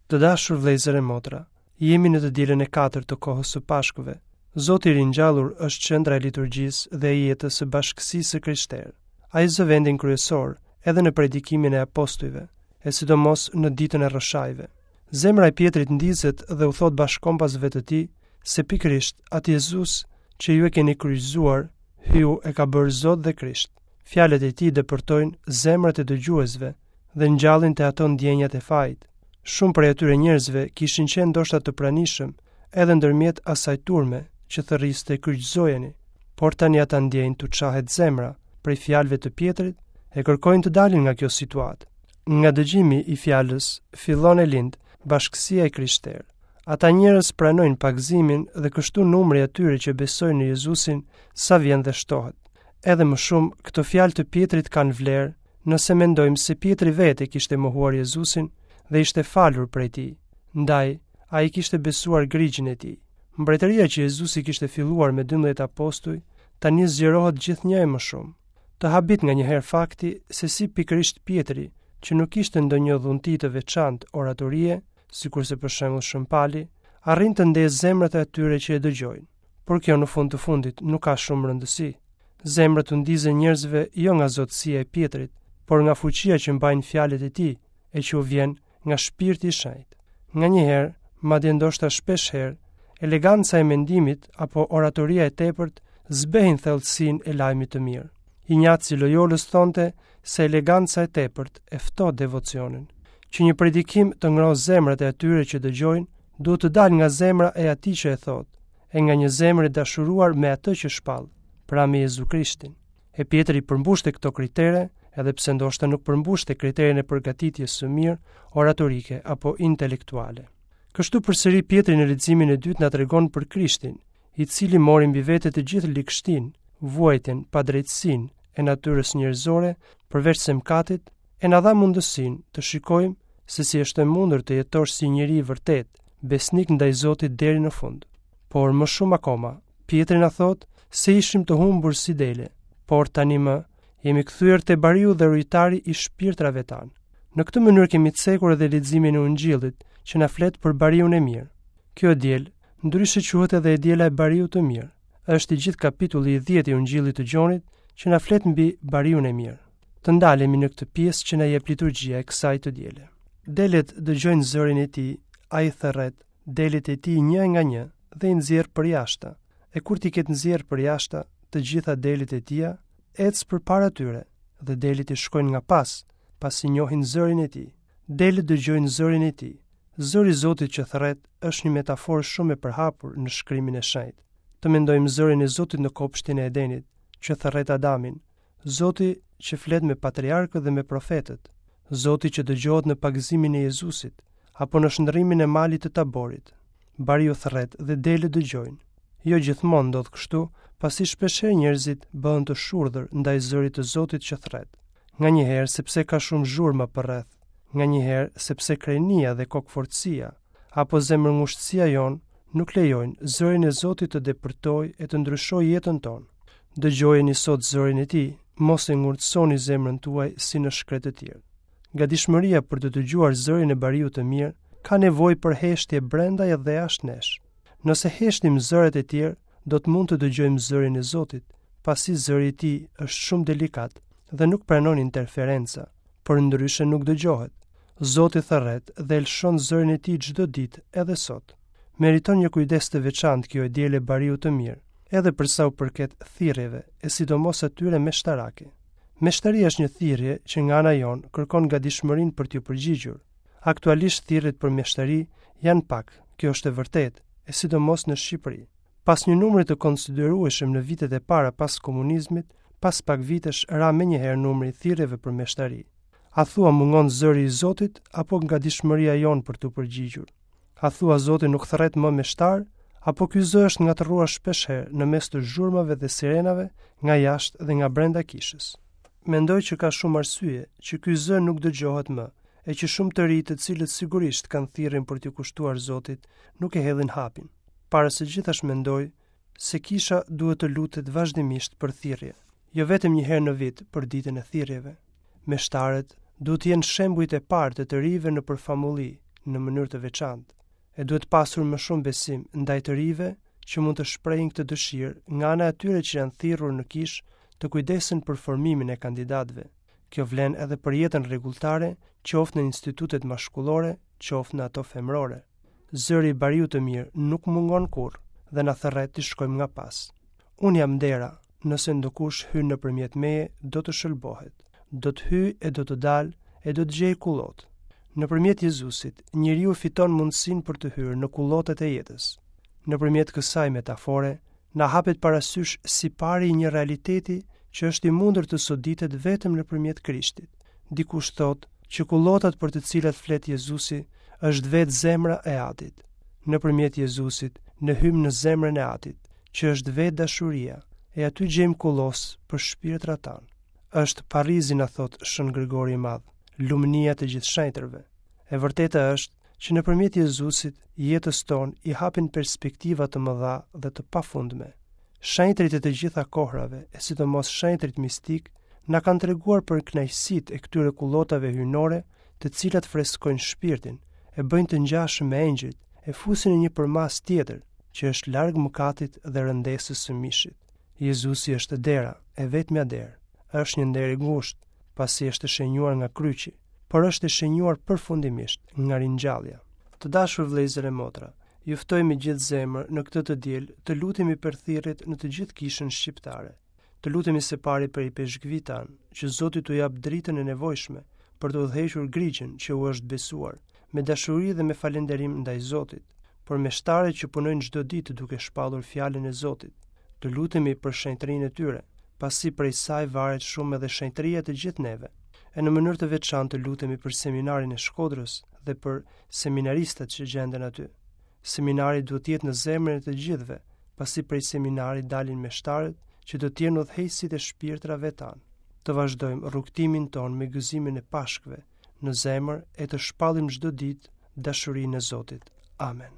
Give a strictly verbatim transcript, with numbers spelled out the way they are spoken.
Të dashur vëllezër e motra, jemi në të dielën e katërt të kohës së Pashkëve. Zoti i ringjallur është qendra e liturgjisë dhe e jetës së bashkësisë së krishterë. Ai zë vendin kryesor edhe në predikimin e apostujve, e sidomos në ditën e rrëshajve. Zemra e Pjetrit ndizet dhe u thot bashkombasve të tij se pikërisht atë Jezus që ju e keni kryqëzuar, Hyu e ka bërë Zot dhe Krisht. Fjalët e tij depërtojnë zemrat e dëgjuesve dhe ngjallin te ato ndjenjat e fajit. Shumë prej atyre njerëzve kishin qenë ndoshta të pranishëm edhe ndërmjet asaj turme që thërriste kryqëzojeni, por tani ata ndjejnë t'u çahet zemra prej fjalëve të Pjetrit e kërkojnë të dalin nga kjo situatë. Nga dëgjimi i fjalës fillon e lind bashkësia e krishterë. Ata njerëz pranojnë pagëzimin dhe kështu numri i atyre që besojnë në Jezusin sa vjen dhe shtohet. Edhe më shumë, këto fjalë të Pjetrit kanë vlerë nëse mendojmë se Pjetri vetë e kishte mohuar Jezusin dhe ishte falur prej tij. Ndaj, ai kishte besuar grigjin e tij. Mbretëria që Jezusi kishte filluar me dymbëdhjetë apostuj, tani zgjerohet gjithnjë e më shumë. Të habit nga një herë fakti se si pikërisht Pjetri, që nuk kishte ndonjë dhunti të veçantë oratorie, sikurse për shembull Shën Pali, arrin të ndezë zemrat e atyre që e dëgjojnë. Por kjo në fund të fundit nuk ka shumë rëndësi. Zemrat u ndizen njerëzve jo nga zotësia e Pjetrit, por nga fuqia që mbajnë fjalët e tij e që u vjen nga shpirti i shenjtë. Nga një herë, madje ndoshta shpesh herë, eleganca e mendimit apo oratoria e tepërt zbehin thellësinë e lajmit të mirë. Injaci i Loyolës thonte se eleganca e tepërt e ftoh devocionin. Që një predikim të ngrohë zemrat e atyre që dëgjojnë, duhet të dalë nga zemra e atij që e thotë, e nga një zemër e dashuruar me atë që shpall, pra me Jezu Krishtin. E Pjetri përmbushte këto kritere, edhe pse ndoshta nuk përmbushte kriterin e përgatitjes së mirë oratorike apo intelektuale. Kështu përsëri Pjetri në leximin e dytë na tregon për Krishtin, i cili mori mbi vete të gjithë ligështinë, vuajtjen, padrejtësinë e natyrës njerëzore përveç se mëkatit, e na dha mundësinë të shikojmë se si është e mundur të jetosh si njeri i vërtet, besnik ndaj Zotit deri në fund. Por më shumë akoma, Pjetri na thotë se ishim të humbur si dele, por tani më jemi kthyer te bariu dhe rujtari i shpirtrave tanë. Në këtë mënyrë kemi cekur edhe leximin e Ungjillit, që na flet për bariun e mirë. Kjo e diel, ndryshe quhet edhe e diela e bariut të mirë. Është i gjithë kapitulli i dhjetë i Ungjillit të Gjonit që na flet mbi bariun e mirë. Të ndalemi në këtë pjesë që na jep liturgjia e kësaj të diele. Delet dëgjojnë zërin e tij, ai thërret delet e tij një nga një dhe i nxjerr përjashta. E kur t'i ketë nxjerr përjashta të gjitha delet e tija, ec përpara tyre dhe delet i shkojnë nga pas, pasi njohin zërin e tij. Delet dëgjojnë zërin e tij. Zëri i Zotit që thërret është një metaforë shumë e përhapur në shkrimin e shenjtë. Të mendojmë zërin e Zotit në kopshtin e Edenit, që thërret Adamin, Zoti që flet me patriarkët dhe me profetët, Zoti që dëgjohet në pagëzimin e Jezusit apo në shndërrimin e malit të Taborit. Bariu thërret dhe delet dëgjojnë. Jo gjithmonë ndodh kështu, pasi shpeshherë njerëzit bëhen të shurdhër ndaj zërit të Zotit që thërret. Nga një herë sepse ka shumë zhurma përreth, nga një herë sepse krenia dhe kokfortësia apo zemërngushtësia jonë nuk lejojnë zërin e Zotit të depërtojë e të ndryshojë jetën tonë. Dëgjojeni sot zërin e tij, mos e ngurtësoni zemrën tuaj si në shkretëtirë. Gatishmëria për të dëgjuar zërin e bariut të mirë ka nevojë për heshtje brenda dhe jashtë nesh. Nëse heshtim zërat e tjerë, do të mund të dëgjojmë zërin e Zotit, pasi zëri i tij është shumë delikat dhe nuk pranon interferenca, por ndryshe nuk dëgjohet. Zoti thërret dhe lëshon zërin e tij çdo ditë, edhe sot. Meriton një kujdes të veçantë kjo e diele bariut të mirë, edhe për sa u përket thirrjeve, e sidomos atyre meshtarake. Meshtaria është një thirrje që nga ana jonë kërkon gatishmërinë për t'ju përgjigjur. Aktualisht thirrjet për meshtari janë pak, kjo është e vërtetë, e sidomos në Shqipëri. Pas një numri të konsiderueshëm në vitet e para pas komunizmit, pas pak vitesh ra menjëherë numri i thirrjeve për meshtari. A thua mungon zëri i Zotit apo gatishmëria jonë për t'u përgjigjur? A thua Zoti nuk thërret më meshtar, apo ky zë është ngatërruar shpeshherë në mes të zhurmave dhe sirenave nga jashtë dhe nga brenda kishës? Mendoj që ka shumë arsye që ky zë nuk dëgjohet më, e që shumë të ri të cilët sigurisht kanë thirrjen për t'iu kushtuar Zotit, nuk e hedhin hapin. Para së gjithash mendoj se kisha duhet të lutet vazhdimisht për thirrje, jo vetëm një herë në vit për ditën e thirrjeve. Meshtarët duhet të jenë shembujt e parë të të rinjve në përfamulli, në mënyrë të veçantë. E duhet pasur më shumë besim ndaj të rinjve që mund të shprehin këtë dëshirë nga ana e atyre që janë thirrur në kishë të kujdesen për formimin e kandidatëve. Kjo vlen edhe për jetën rregulltare, qoftë në institutet mashkullore, qoftë në ato femërore. Zëri i bariut të mirë nuk mungon kurrë dhe na thërret të shkojmë nga pas. Unë jam dera, nëse ndokush hyn nëpërmjet meje, do të shëlbohet. Do të hyjë e do të dalë e do të gjejë kullotë. Nëpërmjet Jezusit, njeriu fiton mundësinë për të hyrë në kullotet e jetës. Nëpërmjet kësaj metafore, na hapet parasysh sipari i një realiteti që është i mundur të soditet vetëm nëpërmjet Krishtit. Dikush thotë që kullotat për të cilat flet Jezusi është vetë zemra e Atit. Nëpërmjet Jezusit, ne hyjmë në zemrën e Atit, që është vetë dashuria, e aty gjejmë kullos për shpirtrat tanë. Është Parizi, na thot Shën Grigori i Madh, lumnia të gjithë shenjtërve. E vërteta është që nëpërmjet Jezusit jetës tonë i hapin perspektiva të mëdha dhe të pafundme. Shenjtërit e të gjitha kohrave, e sidomos shenjtërit mistik, na kanë treguar për kënaqësitë e këtyre kullotave hyjnore, të cilat freskojnë shpirtin, e bëjnë të ngjashëm me engjëjt, e fusin në një përmasë tjetër, që është larg mëkatit dhe rëndesës së mishit. Jezusi është dera, e vetmja derë. Është një nder i ngushtë, pasi është e shenjuar nga kryqi, por është e shenjuar përfundimisht nga ringjallja. Të dashur vëllezër e motra, ju ftoj me gjithë zemër në këtë të diel të lutemi për thirrjet në të gjithë kishën shqiptare. Të lutemi se pari për ipeshkvit tanë, që Zoti t'u jap dritën e nevojshme për të udhëhequr grigjën që u është besuar, me dashuri dhe me falënderim ndaj Zotit, për meshtarët që punojnë çdo ditë duke shpallur fjalën e Zotit. Të lutemi për shenjtërinë e tyre, pasi prej saj varet shumë edhe shenjtëria e të gjithë neve. E në mënyrë të veçantë të lutemi për seminarin e Shkodrës dhe për seminaristët që gjenden aty. Seminari duhet të jetë në zemrën e të gjithëve, pasi prej seminarit dalin meshtarët që do të jenë udhëheqësit e shpirtrave tanë. Të vazhdojmë rrugëtimin tonë me gëzimin e Pashkëve në zemër e të shpallim çdo ditë dashurinë e Zotit. Amen.